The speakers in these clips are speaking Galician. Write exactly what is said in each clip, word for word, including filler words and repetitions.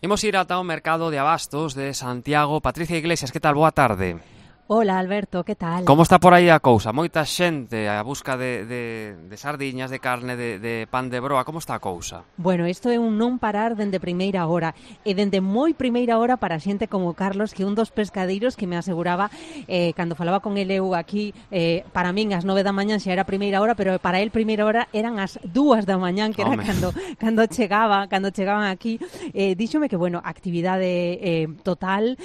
Imos ir ata o mercado de abastos de Santiago. Patricia Iglesias, que tal? Boa tarde. Hola, Alberto, que tal? Como está por aí a cousa? Moita xente a busca de, de, de sardiñas, de carne, de, de pan de broa. Como está a cousa? Bueno, isto é un non parar dende primeira hora. E dende moi primeira hora para xente como Carlos, que un dos pescadeiros que me aseguraba, eh, cando falaba con ele eu aquí, eh, para min as nove da mañán xa era primeira hora, pero para el primeira hora eran as dúas da mañán, que era Home. cando cando chegaba, cando chegaban aquí. Eh, díxome que, bueno, actividade eh, total,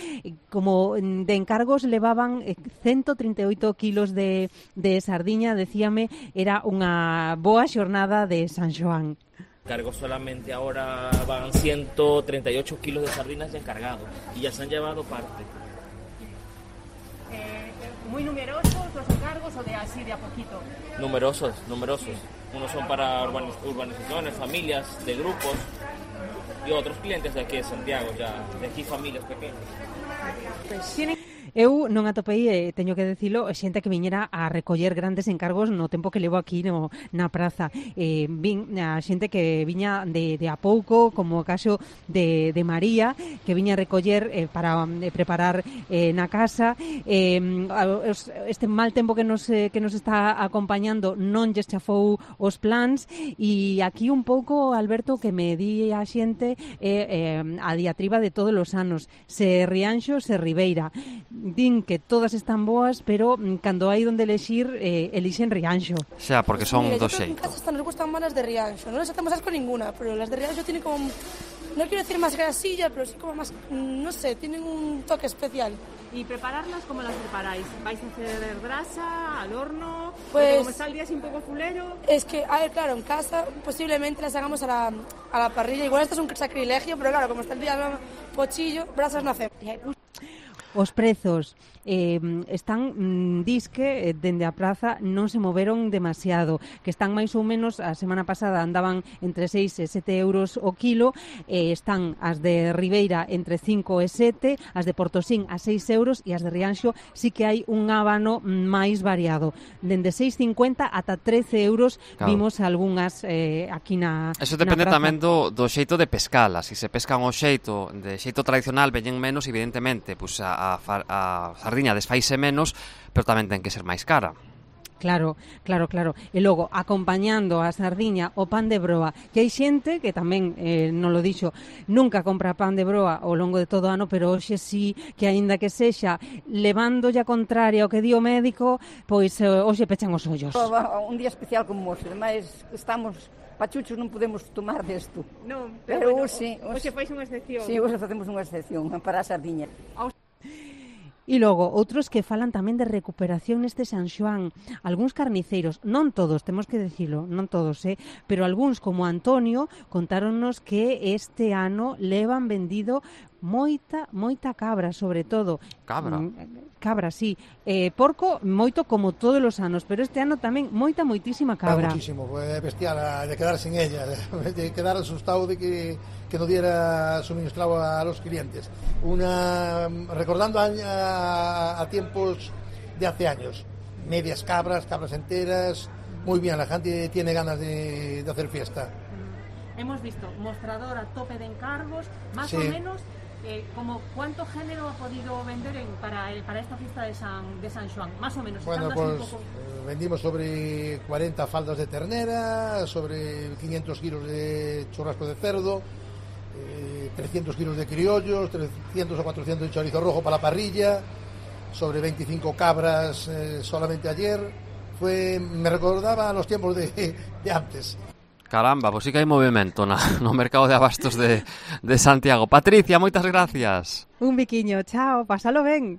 como de encargos levaban ciento treinta e oito kilos de, de sardiña, decíame, era unha boa xornada de San Xoán. Cargo solamente ahora van ciento treinta y ocho kilos de sardinas ya encargados y ya se han llevado parte. Eh, ¿Muy numerosos los encargos o de así de a poquito? Numerosos, numerosos. Unos son para urbaniz- urbanizaciones, familias, de grupos y otros clientes de aquí de Santiago, ya de aquí familias pequeñas. Pues tienen... Eu non atopei, eh, teño que decilo, xente que viñera a recoller grandes encargos no tempo que levo aquí no, na praza. Eh, vin a xente que viña de, de a pouco, como o caso de, de María, que viña a recoller eh, para eh, preparar eh, na casa. Eh, este mal tempo que nos, eh, que nos está acompañando non lle chafou os plans, e aquí un pouco, Alberto, que me di a xente eh, eh, a diatriba de todos os anos. Se Rianxo, se Ribeira. Din que todas están boas, pero mm, cando hai donde elexir, eh, elixen Rianxo. Xa, porque son Mira, do yo creo que en xeito. casa hasta nos gustan más las de Rianxo. No les hacemos asco ninguna, pero las de Rianxo tienen como... No quiero decir más grasilla, pero sí como más... No sé, tienen un toque especial. ¿Y prepararlas cómo las preparáis? ¿Vais a hacer grasa, al horno? Pues- Como está el día así un poco fulero. Es que, a ver, claro, en casa posiblemente las hagamos a la, a la parrilla. Igual esto es un sacrilegio, pero claro, como está el día no, pochillo, brasas no hacemos. Os prezos eh, están, mm, disque, eh, dende a praza non se moveron demasiado, que están máis ou menos, a semana pasada andaban entre seis e sete euros o kilo, eh, están as de Ribeira entre cinco e sete, as de Portosín a seis euros, e as de Rianxo sí que hai un ábano máis variado, dende seis cincuenta ata trece euros. Claro. Vimos algunhas eh, aquí na Eso na depende praza. tamén do, do xeito de pescala. Si se pescan o xeito de xeito tradicional, veñen menos, evidentemente, pues a, a, far- a sardiña desfaise menos, pero tamén ten que ser máis cara. Claro, claro, claro. E logo, acompañando a sardiña o pan de broa, que hai xente que tamén, eh, non lo dixo, nunca compra pan de broa ao longo de todo o ano, pero hoxe sí que, aínda que sexa levándolle a contraria ao que di o médico, pois eh, hoxe pechan os ollos. Un día especial como hoxe, ademais estamos pachuchos, non podemos tomar desto. Non, Pero hoxe, hoxe fais unha excepción. Si, hoxe facemos unha excepción para a sardiña. E logo, outros que falan tamén de recuperación neste San Xoán. Algúns carniceiros, non todos, temos que dicilo, non todos, eh? pero algúns, como Antonio, contáronnos que este ano levan vendido moita, moita cabra, sobre todo. Cabra? Mm, Cabra, sí. Eh, porco, moito como todos os anos, pero este ano tamén moita, moitísima cabra. Muchísimo, fue bestial a- de quedar sin ella, de quedar asustado de que, que no diera suministrado a los clientes. Una, recordando a, a, a tiempos de hace años, medias cabras, cabras enteras, muy bien, la gente tiene ganas de, de hacer fiesta. Hemos visto mostrador a tope de encargos, más Sí. o menos, eh, como cuánto género ha podido vender en, para, el, para esta fiesta de San, de San Xoán, más o menos. Bueno, estando así pues un poco... eh, vendimos sobre cuarenta faldas de ternera, sobre quinientos kilos de churrasco de cerdo, eh, trescientos kilos de criollos, trescientos o cuatrocientos de chorizo rojo para la parrilla, sobre veinticinco cabras eh, solamente ayer. Fue, me recordaba a los tiempos de, de antes. Caramba, pois sí que hai movimento na, no mercado de abastos de, de Santiago. Patricia, moitas gracias. Un biquiño, chao, pásalo ben.